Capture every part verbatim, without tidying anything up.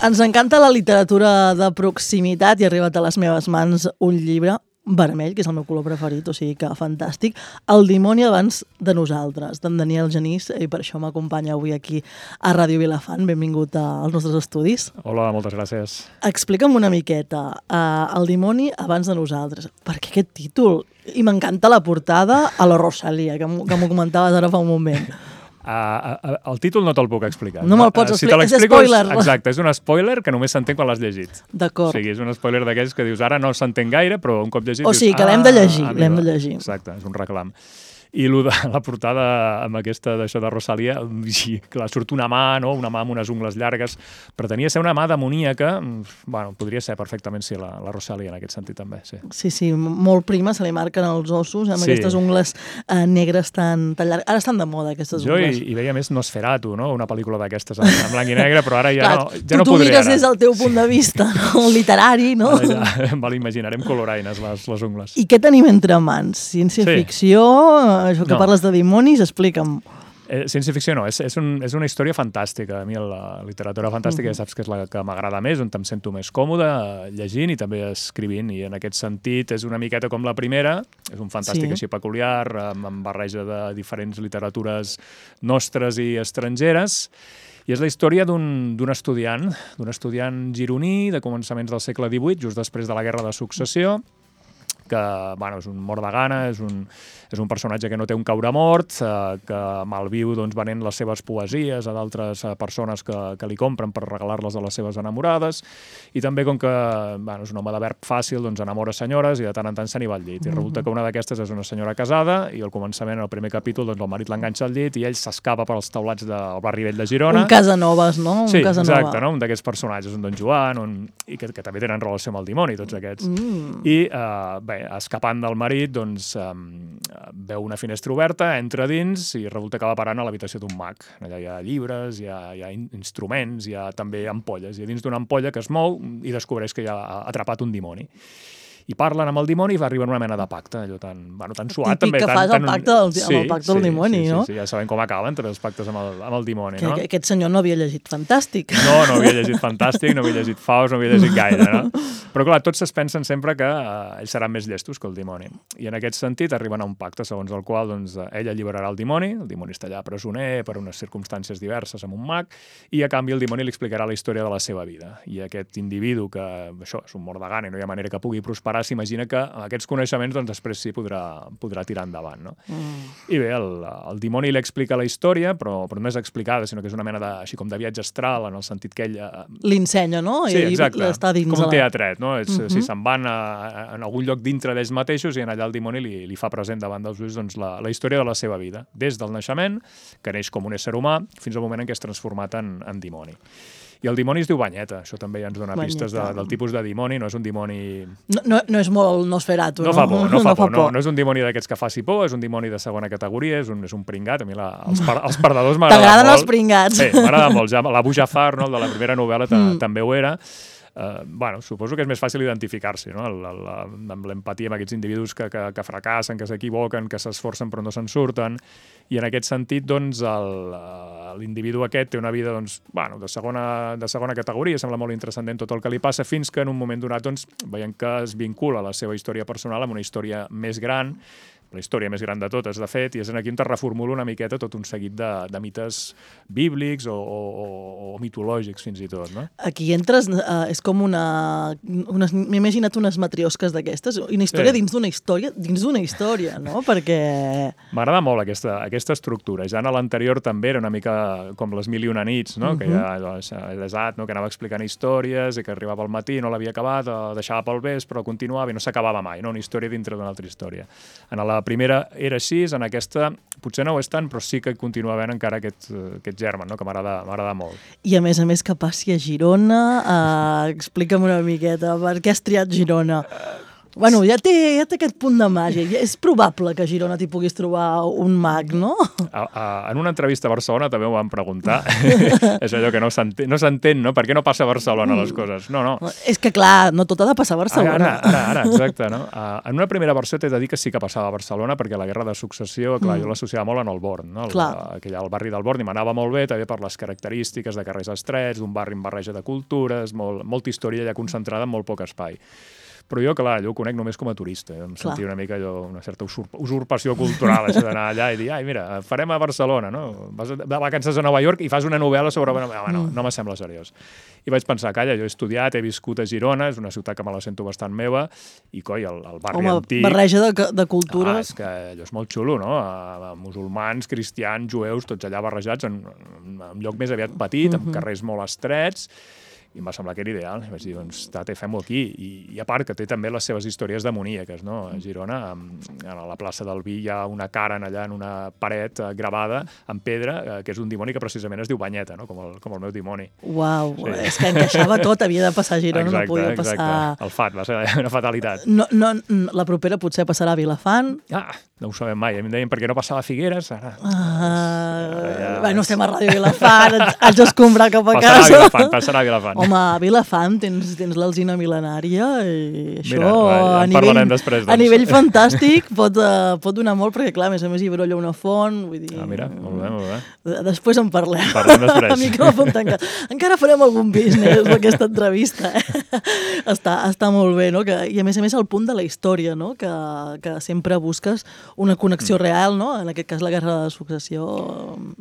Ens encanta la literatura de proximitat i ha arribat a les meves mans un llibre vermell, que és el meu color preferit, o sigui que fantàstic. El dimoni abans de nosaltres, d'en Daniel Genís, i per això m'acompanya avui aquí a Ràdio Vilafant. Benvingut als nostres estudis. Hola, moltes gràcies. Explica'm una miqueta, uh, el dimoni abans de nosaltres. Per què aquest títol? I m'encanta la portada a la Rosalia, que m'ho comentaves ara fa un moment. Uh, uh, el títol no te'l puc explicar. No me'l pots uh, explicar, si és spoiler. És, exacte, és un spoiler que només s'entén quan l'has llegit. D'acord. O sigui, és un spoiler d'aquells que dius ara no s'entén gaire, però un cop llegit o dius... O sigui, que l'hem de llegir, ah, l'hem de llegir. Exacte, és un reclam. I lo de la portada amb aquesta d'això de Rosalia, i, clar, surt una mà, no? Una mà amb unes ungles llargues, pretenia ser una mà demoníaca, bueno, podria ser perfectament sí, la, la Rosalia en aquest sentit també, sí. Sí, sí, molt prima, se li marquen els ossos amb sí. aquestes ungles eh, negres tan, tan llargues. Ara estan de moda aquestes jo ungles. Jo hi, hi veia més Nosferatu, no? Una pel·lícula d'aquestes en, en blanc i negre, però ara ja clar, no, ja tu, no tu podré. Tu mires des del teu punt de vista, no? Literari, no? Ara ja, vale, imaginarem coloraines les, les ungles. I què tenim entre mans? Ciència-ficció, sí. això que no. parles de dimonis, explica'm. Eh, ciència-ficció no, és, és, un, és una història fantàstica. A mi la literatura fantàstica uh-huh. ja saps que és la que m'agrada més, on em sento més còmode llegint i també escrivint, i en aquest sentit és una miqueta com la primera, és un fantàstic sí. així peculiar, amb, amb barreja de diferents literatures nostres i estrangeres, i és la història d'un estudiant, d'un estudiant gironí de començaments del segle divuit, just després de la Guerra de Successió, que bueno, és un mort de gana, és un, és un personatge que no té un caure mort, eh, que malviu doncs, venent les seves poesies a d'altres eh, persones que, que li compren per regalar-les a les seves enamorades, i també com que bueno, és un home de verb fàcil, doncs enamora senyores i de tant en tant se n'hi va al llit. I resulta que una d'aquestes és una senyora casada i al començament, en el primer capítol, doncs, el marit l'enganxa al llit i ell s'escapa pels taulats del barri vell de Girona. Un Casanovas, no? Un sí, Casanova. Exacte, no? Un d'aquests personatges, un Don Joan, un... i que, que també tenen relació amb el dimoni, tots aquests. Mm. I, eh, bé, escapant del marit, doncs, eh, veu una finestra oberta, entra dins i resulta que va parant a l'habitació d'un mag. Allà hi ha llibres, hi ha, hi ha instruments, hi ha també ampolles. I a dins d'una ampolla que es mou i descobreix que hi ha atrapat un dimoni. I parlen amb el dimoni i va arribar una mena de pacte, allò tan, bueno, tan suat. Típic també, que tan, fas tan... el pacte del, sí, amb el pacte del sí, dimoni, sí, no? Sí, sí, ja sabem com acaben entre els pactes amb el, amb el dimoni, que, no? Que aquest senyor no havia llegit Fantàstic. No, no havia llegit Fantàstic, no havia llegit Faust, no havia llegit gaire, no? Però clar, tots es pensen sempre que eh, ells seran més llestos que el dimoni. I en aquest sentit arriben a un pacte segons el qual doncs, ell alliberarà el dimoni, el dimoni està allà presoner per unes circumstàncies diverses amb un mag, i a canvi el dimoni li explicarà la història de la seva vida. I aquest individu que, això, és un mort de gana i no hi ha manera que pugui prosperar, s'imagina que amb aquests coneixements doncs després sí podrà, podrà tirar endavant, no? Mm. I bé, el, el dimoni li explica la història, però, però no és explicada, sinó que és una mena de, així com de viatge astral, en el sentit que ell... Eh... L'ensenya, no? Sí, exacte, està dins com un la... teatret, no? És, mm-hmm. Si se'n van a, a, en algun lloc dintre d'ells mateixos i en allà el dimoni li, li fa present davant dels ulls doncs, la, la història de la seva vida, des del naixement, que neix com un ésser humà, fins al moment en què és transformat en, en dimoni. I el dimoni es diu Banyeta, això també ja ens dona Banyeta. Pistes de, del tipus de dimoni, no és un dimoni... No, no, no és molt Nosferatu, no? No fa por, no fa no por, fa no, por. no és un dimoni d'aquests que faci por, és un dimoni de segona categoria, és un, és un pringat, a mi la, els, par, els perdedors m'agraden molt. T'agraden els pringats. Sí, m'agrada molt, ja, l'Abu Jafar, no, el de la primera novel·la, mm. també ho era. Uh, bueno, suposo que és més fàcil identificar-s'hi, no? El, el, amb l'empatia amb aquests individus que, que, que fracassen, que s'equivoquen, que s'esforcen però no se'n surten, i en aquest sentit, doncs, l'individu aquest té una vida, doncs, bueno, de segona, de segona categoria, sembla molt interessant en tot el que li passa, fins que en un moment donat, doncs, veiem que es vincula la seva història personal amb una història més gran, la història més gran de totes, de fet, i és aquí on es reformula una miqueta tot un seguit de, de mites bíblics o, o, o mitològics, fins i tot, no? Aquí entres, uh, és com una... una M'he imaginat unes matriosques d'aquestes, una història sí. dins d'una història, dins d'una història, no? Perquè... M'agrada molt aquesta, aquesta estructura. Ja en l'anterior també era una mica com les mil i una nits, no? Uh-huh. Que ja doncs, desat, no? Que anava explicant històries i que arribava al matí, no l'havia acabat, deixava pel vespre, però continuava i no s'acabava mai, no? Una història dintre d'una altra història. En la primera era així, en aquesta potser no ho és tant, però sí que continua havent encara aquest, aquest germen, no? Que m'agrada molt. I a més a més que passi a Girona, uh, explica'm una miqueta, per què has triat Girona? Bueno, ja té, ja té aquest punt de màgia. És probable que a Girona t'hi puguis trobar un mag, no? A, a, en una entrevista a Barcelona també ho van preguntar. És allò que no s'entén, no s'entén, no? Per què no passa a Barcelona les coses? No, no. És que, clar, no tot ha de passar a Barcelona. Ara, ara, ara, exacte, no? Uh, en una primera versió t'he de dir que sí que passava a Barcelona, perquè la Guerra de Successió, clar, mm. jo l'associava molt en el Born, no? El, aquell, el barri del Born, i m'anava molt bé, també per les característiques de carrers estrets, d'un barri amb barreja de cultures, molt, molta història ja concentrada en molt poc espai. Però jo, clar, allò ho conec només com a turista. Em clar. sentia una mica allò, una certa usurp usurpació cultural, això d'anar allà i dir, ai, mira, farem a Barcelona, no? Vas de vacances a Nova York i fas una novel·la sobre... Ah, no, no me sembla seriós. I vaig pensar, calla, jo he estudiat, he viscut a Girona, és una ciutat que me la sento bastant meva, i, coi, el, el barri Home, antic... barreja de, de cultures. Ah, és que allò és molt xulo, no? A, a musulmans, cristians, jueus, tots allà barrejats en, en un lloc més aviat petit, amb Mhm. carrers molt estrets, i em va semblar que era ideal. I vaig dir, doncs, tate, fem-ho aquí. I, I a part que té també les seves històries demoníaques, no? A Girona, a la plaça del Vi, hi ha una cara allà en una paret eh, gravada en pedra, eh, que és un dimoni que precisament es diu Banyeta, no? Com el, com el meu dimoni. Uau, Sí. és que encaixava tot, havia de passar a Girona, Exacte, no podia exacte. passar... El fat, va ser una fatalitat. No, no, la propera potser passarà a Vilafant. Ah, no ho sabem mai. A mi em deien per què no passava a Figueres. Ara... Uh, ja... Bueno, estem a Ràdio Vilafant, haig d'escombrar cap a Passarà casa. a Vilafant, passarà a Vilafant. Home, a Vilafant tens, tens l'alzina mil·lenària i això Mira, va, ja a, en nivell, parlarem després, doncs. a nivell fantàstic pot, uh, pot donar molt, perquè clar, a més a més hi brolla una font, vull dir... Ah, mira, molt bé, molt bé. Després en parlem. Parlem després. A micròfon tancat. Encara farem algun business amb aquesta entrevista. Eh? està, està molt bé, no? Que, i a més a més el punt de la història, no? Que, que sempre busques una connexió mm. real, no? En aquest cas la Guerra de Successió.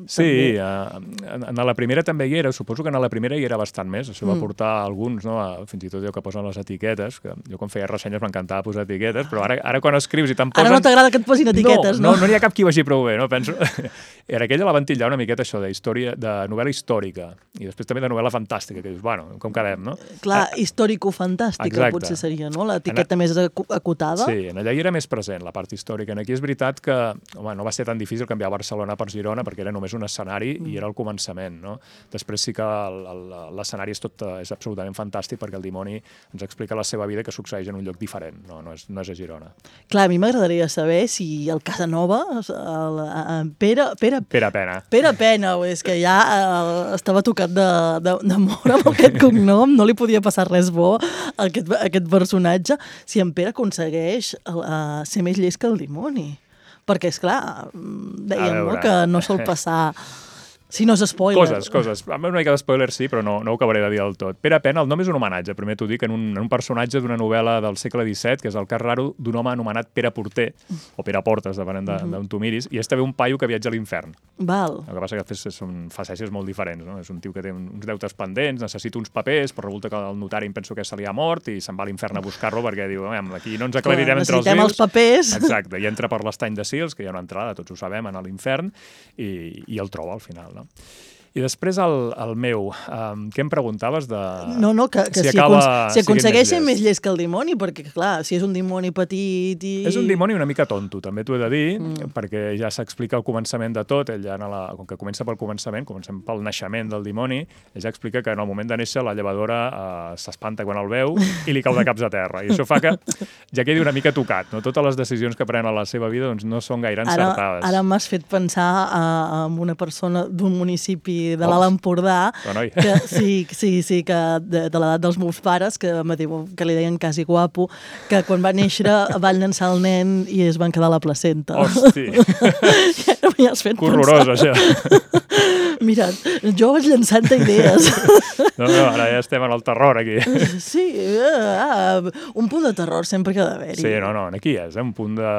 Sí, uh, en, en la primera també hi era, suposo que en la primera hi era bastant més, això va portar alguns, no? A, fins i tot jo que posen les etiquetes, que jo quan feia ressenyes m'encantava posar etiquetes, però ara, ara quan escrius i te'n posen... Ara no t'agrada que et posin etiquetes, no? No, no n'hi ha cap qui ho vagi prou bé, no? Penso... Era aquella la van titllar una miqueta això de història, de novel·la històrica, i després també de novel·la fantàstica, que dius, bueno, com quedem, no? Clar, ah, històrico-fantàstica exacte. Potser seria, no? L'etiqueta en... més acotada. Sí, en allà hi era més present, la part històrica. En aquí és veritat que, home, no va ser tan difícil canviar Barcelona per Girona, perquè era només un escenari mm. i era el començament, no? Després sí que l'escenari és tot, és absolutament fantàstic, perquè el dimoni ens explica la seva vida que succeeix en un lloc diferent, no, no, és, no és a Girona. Clar, a mi m'agradaria saber si el Casanova, el, el Pere, Pere, Pere Pena. Pere Pena, és que ja eh, estava tocat de, de, de mort amb aquest cognom, no li podia passar res bo a aquest, a aquest personatge, si en Pere aconsegueix uh, ser més llest que el dimoni. Perquè, és clar, dèiem no, que no sol passar... Si no és spoiler. Coses, coses. Una mica de spoiler sí, però no, no ho acabaré de dir del tot. Pere Pena, el nom és un homenatge, primer t'ho dic, en un, en un personatge d'una novel·la del segle disset, que és el cas raro d'un home anomenat Pere Porter, o Pere Portes, depenent d'on de, de tu miris, i és també un paio que viatja a l'infern. Val. El que passa que són facècies molt diferents, no? És un tio que té uns deutes pendents, necessita uns papers, però resulta que el notari em penso que se li ha mort i se'n va a l'infern a buscar-lo perquè diu, aquí no ens aclarirem entre els vius. Necessitem els papers. Exacte, i entra per l'estany de Sils, que hi ha una entrada, tots ho sabem, a l'infern, i, i el troba al final, no? I després el, el meu, um, què em preguntaves de... No, no, que, que si, si, acaba, si aconsegueix ser més llest que el dimoni, perquè, clar, si és un dimoni petit i... És un dimoni una mica tonto, també t'ho he de dir, mm. perquè ja s'explica el començament de tot, ell ja, la, com que comença pel començament, comencem pel naixement del dimoni, ell ja explica que en el moment de néixer la llevadora uh, s'espanta quan el veu i li cau de caps a terra, i això fa que ja quedi una mica tocat, no? Totes les decisions que pren a la seva vida doncs, no són gaire encertades. Ara, ara m'has fet pensar uh, en una persona d'un municipi de l'Alt Empordà, que, sí, sí, sí, que de, de l'edat dels meus pares, que, que li deien quasi guapo, que quan va néixer van llançar el nen i es van quedar a la placenta. Hosti! Ja m'hi has fet horrorós, això. Mira, jo vaig llançant idees. No, no, ara ja estem en el terror, aquí. Sí, uh, un punt de terror sempre que ha d'haver-hi. Sí, no, no, aquí és, eh? Un punt de,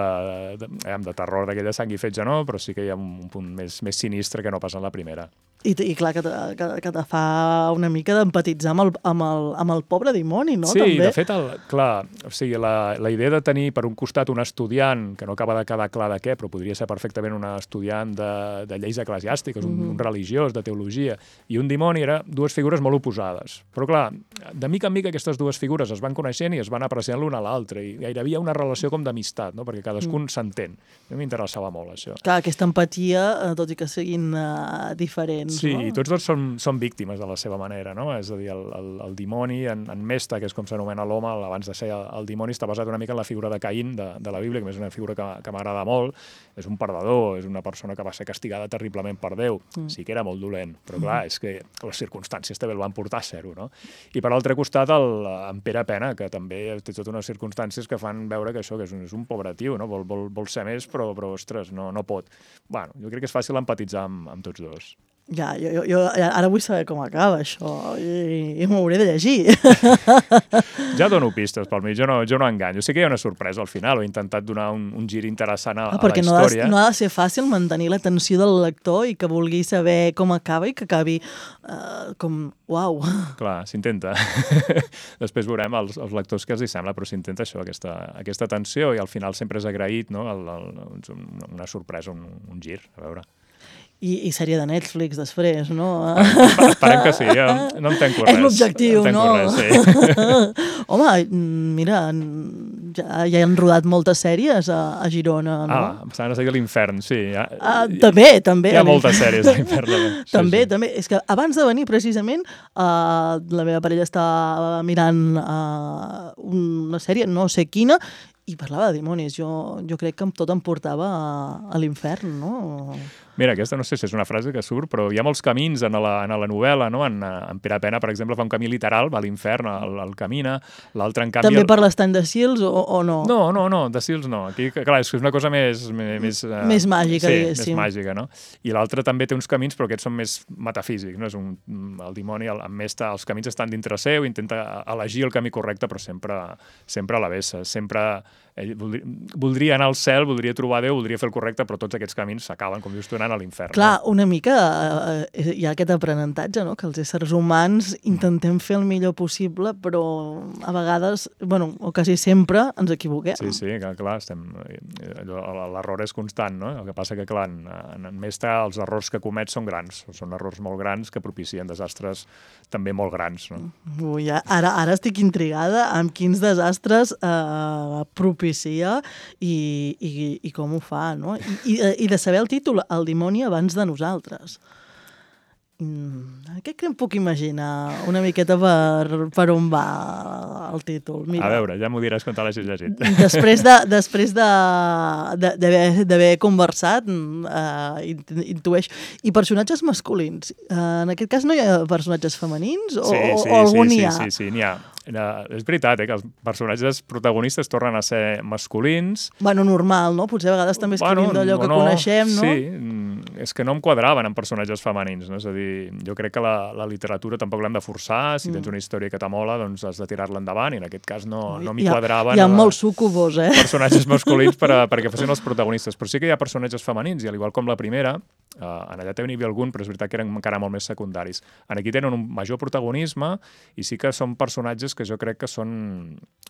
de, de terror d'aquella sang i fetge, no, però sí que hi ha un punt més, més sinistre que no passa en la primera. I, i clar, que te, que, que te fa una mica d'empatitzar amb, el, amb, el, amb el pobre dimoni, no? Sí, també. De fet, el, clar, o sigui, la, la idea de tenir per un costat un estudiant, que no acaba de quedar clar de què, però podria ser perfectament un estudiant de, de lleis eclesiàstiques, un, mm-hmm. un religiós, religiós, de teologia, i un dimoni era dues figures molt oposades. Però clar, de mica en mica aquestes dues figures es van coneixent i es van apreciant l'una a l'altra, i gairebé hi havia una relació com d'amistat, no? Perquè cadascun mm. s'entén. A mi m'interessava molt, això. Clar, aquesta empatia, tot i que siguin uh, diferents. Sí, no? i tots dos són, són víctimes de la seva manera, no? És a dir, el, el, el dimoni, en, en Mesta, que és com s'anomena l'home, abans de ser el, el dimoni, està basat una mica en la figura de Caín de, de la Bíblia, que és una figura que, que m'agrada molt. És un perdedor, és una persona que va ser castigada terriblement per Déu. Mm. Sí que era molt dolent, però clar, és que les circumstàncies també el van portar a ser-ho, no? I per l'altre costat, el, en Pere Pena, que també té totes unes circumstàncies que fan veure que això que és un, és un pobre tio, no? Vol, vol, vol ser més, però, però ostres, no, no pot. Bueno, jo crec que és fàcil empatitzar amb, amb tots dos. Ja, jo, jo ara vull saber com acaba això i, i m'ho hauré de llegir. Ja dono pistes pel mig, jo no, jo no enganyo. Sí que hi ha una sorpresa al final, he intentat donar un, un gir interessant a, ah, a la història. Perquè no, no ha de ser fàcil mantenir l'atenció del lector i que vulgui saber com acaba i que acabi uh, com, uau. Clar, s'intenta. Després veurem els, els lectors que els hi sembla, però s'intenta això, aquesta, aquesta tensió, i al final sempre és agraït, no? El, el, una sorpresa, un, un gir, a veure. I, i sèrie de Netflix després, no? Esperem que sí, ja no entenc res. És l'objectiu, no? Res, sí. Home, mira, ja, ja han rodat moltes sèries a, a Girona, no? Ah, em sembla que l'Infern, sí. Ja, ah, ja, també, també. Hi ha moltes sèries a l'Infern. Sí, també, sí. també. És que abans de venir, precisament, uh, la meva parella estava mirant uh, una sèrie, no sé quina, i parlava de dimonis. Jo, jo crec que tot em portava a, a l'infern, no? Mira, aquesta no sé si és una frase que surt, però hi ha molts camins en la, en la novel·la, no? En, en Pere Pena, per exemple, fa un camí literal, va a l'infern, el, el camina, l'altre, en canvi... També el... per l'estany de Sils o, o no? No, no, no, de Sils no. Aquí, clar, és una cosa més... Més, uh... més màgica, sí, diguéssim. més màgica, no? I l'altre també té uns camins, però aquests són més metafísics, no? És un, el dimoni, el, amb Mesta, els camins estan dintre seu, intenta elegir el camí correcte, però sempre, sempre a la vessa, sempre... Ell voldria, voldria anar al cel, voldria trobar Déu, voldria fer el correcte, però tots aquests camins s'acaben, com dius tu, anant a l'infern. Clar, una mica eh, hi ha aquest aprenentatge, no? Que els éssers humans intentem fer el millor possible, però a vegades, bueno, o quasi sempre, ens equivoquem. Sí, sí, clar, clar estem... l'error és constant, no? El que passa que, clar, en, en Mesta els errors que comet són grans, són errors molt grans que propicien desastres també molt grans, no? Ui, ara, ara estic intrigada amb quins desastres eh, propicia i, i, i com ho fa, no? I, i, i de saber el títol, El dimoni abans de nosaltres. Mm, què que em puc imaginar una miqueta per, per on va el títol? Mira, a veure, ja m'ho diràs quan te l'hagis llegit. Després de, després de, de, d'haver conversat, eh, intueix. I personatges masculins? Eh, en aquest cas no hi ha personatges femenins? O, sí, sí, o algun sí, n'hi ha? Sí, sí, sí, n'hi ha. És veritat, eh, que els personatges protagonistes tornen a ser masculins. Bueno, normal, no? Potser a vegades també escrivim bueno, d'allò que no, coneixem, no? Sí, és que no em quadraven en personatges femenins, no? És a dir, jo crec que la, la literatura tampoc l'hem de forçar, si mm. tens una història que t'amola, doncs has de tirar-la endavant, i en aquest cas no, no m'hi quadraven. Hi ha molts sucubos, eh? Personatges masculins per a, perquè fossin els protagonistes, però sí que hi ha personatges femenins, i al igual com la primera, eh, en allà també n'hi havia algun, però és veritat que eren encara molt més secundaris. En aquí tenen un major protagonisme, i sí que són personatges que jo crec que són,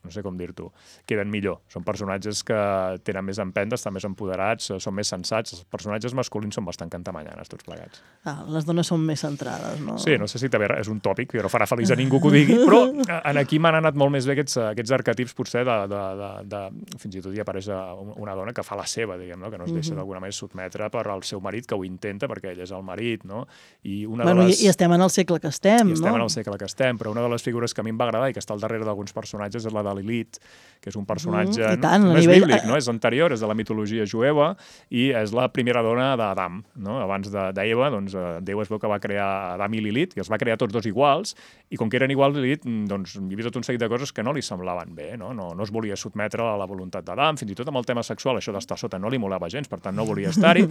no sé com dir-t'ho, queden millor. Són personatges que tenen més empenta, estan més empoderats, són més sensats. Els personatges masculins són bastant cantamanyanes, tots plegats. Ah, les dones són més centrades, no? Sí, no sé si també és un tòpic, que no farà feliç a ningú que ho digui, però en aquí m'han anat molt més bé aquests, aquests arquetips, potser, de, de, de, de... fins i tot hi apareix una dona que fa la seva, diguem, no? Que no es deixa d'alguna manera sotmetre per al seu marit, que ho intenta, perquè ell és el marit, no? I, una bueno, de les... i, i estem en el segle que estem, I no? estem en el segle que estem, però una de les figures que a mi em va agradar i que està al darrere d'alguns personatges és la de Lilith, que és un personatge... Mm, tant, no és nivell... bíblic, no? És anterior, és de la mitologia jueva, i és la primera dona d'Adam, no? Abans d'Eva, doncs, Déu es veu que va crear Adam i Lilith, i els va crear tots dos iguals, i com que eren iguals, Lilith, doncs, hi havia tot un seguit de coses que no li semblaven bé, no? No, no es volia sotmetre a la voluntat d'Adam, fins i tot amb el tema sexual, això d'estar sota no li molava gens, per tant no volia estar-hi,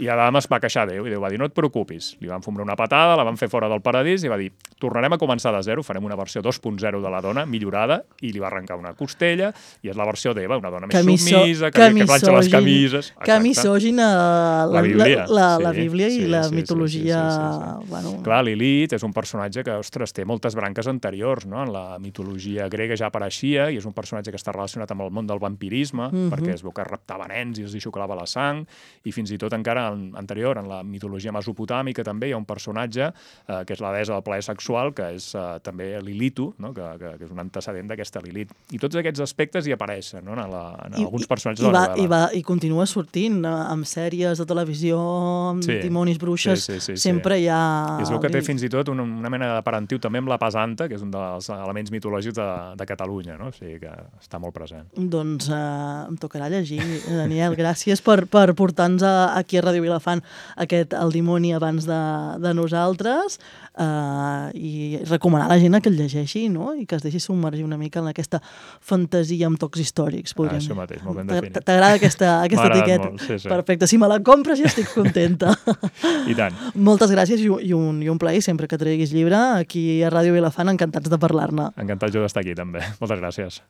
i Adam es va queixar a Déu, i Déu va dir, no et preocupis. Li van fumar una patada, la van fer fora del paradís, i va dir, tornarem a començar de zero, farem una versió dos punt zero de la dona, millorada, i li va arrencar una costella, i és la versió d'Eva, una dona més Camiso, submisa, que, que planxa les camises... Que misògina la, la Bíblia, la, la, sí, la Bíblia i sí, la sí, mitologia... Sí, sí, sí, sí. Bueno... Clar, Lilith és un personatge que, ostres, té moltes branques anteriors, no? En la mitologia grega ja apareixia, i és un personatge que està relacionat amb el món del vampirisme, mm -hmm. perquè es veu que raptava nens i els hi xuclava la sang, i fins i tot encara en, anterior, en la mitologia mesopotàmica també hi ha un personatge eh, que és la deessa del plaer sexual, que és eh, també Lilitu, no? que, que, que és un antecedent d'aquesta Lilith. I tots aquests aspectes hi apareixen, no? en, la, en I, alguns personatges i, de la va, novel·la. I, va, I continua sortint amb sèries de televisió, amb sí, dimonis, bruixes, sí, sí, sí, sempre sí. hi ha... I es veu que té fins i tot una, una mena de parentiu també amb la pesanta, que és un dels elements mitològics de, de Catalunya, no? O sigui que està molt present. Doncs eh, em tocarà llegir, Daniel. Gràcies per, per portar-nos aquí a Ràdio Vilafant aquest El dimoni abans de, de nosaltres, eh, i recomanar a la gent que el llegeixi, no? I que es deixi submergir una mica en aquesta fantasia amb tocs històrics. Ah, això mateix, molt ben definit. T'agrada aquesta, aquesta etiqueta? Molt, sí, sí. Perfecte. Si me la compres ja estic contenta. I tant. Moltes gràcies i un, i un plaer sempre que treguis llibre aquí a Ràdio Vilafant, encantats de parlar-ne. Encantat jo d'estar aquí també. Moltes gràcies.